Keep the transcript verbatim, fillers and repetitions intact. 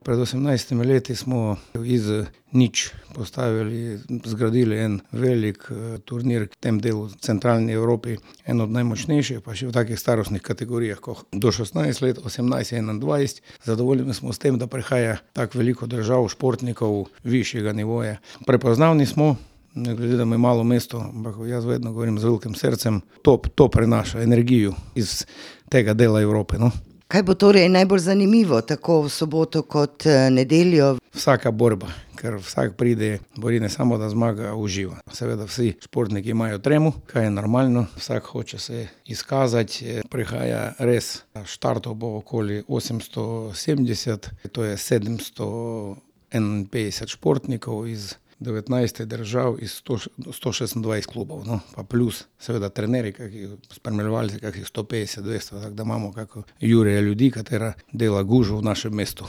Pred osemnajstimi leti smo iz nič postavili, zgradili en velik turnir v tem delu centralni Evropi, en od najmočnejših, pa še v takih starostnih kategorijah, ko do šestnajst let, osemnajst, enaindvajset. Zadovoljni smo s tem, da prihaja tako veliko držav, športnikov višjega nivoja. Prepoznavni smo, ne glede, da je malo mesto, ampak jaz vedno govorim z velikim srcem, to, to prenaša energijo iz tega dela Evrope, no. Kaj bo torej najbolj zanimivo, tako v soboto kot nedeljo? Vsaka borba, ker vsak pride, bori ne samo, da zmaga, uživa. Seveda vsi športniki imajo tremo, kaj je normalno, vsak hoče se izkazati, prihaja res, štartov bo okoli osemsto sedemdeset, to je sedemsto enainpetdeset športnikov iz devetnajstih držav, iz sto šestindvajset klubov, no, pa plus seveda trenerji, kakih spremljevalci, kakih sto petdeset, dvesto, tako da imamo kako jurje ljudi, katera dela gužvo v našem mestu.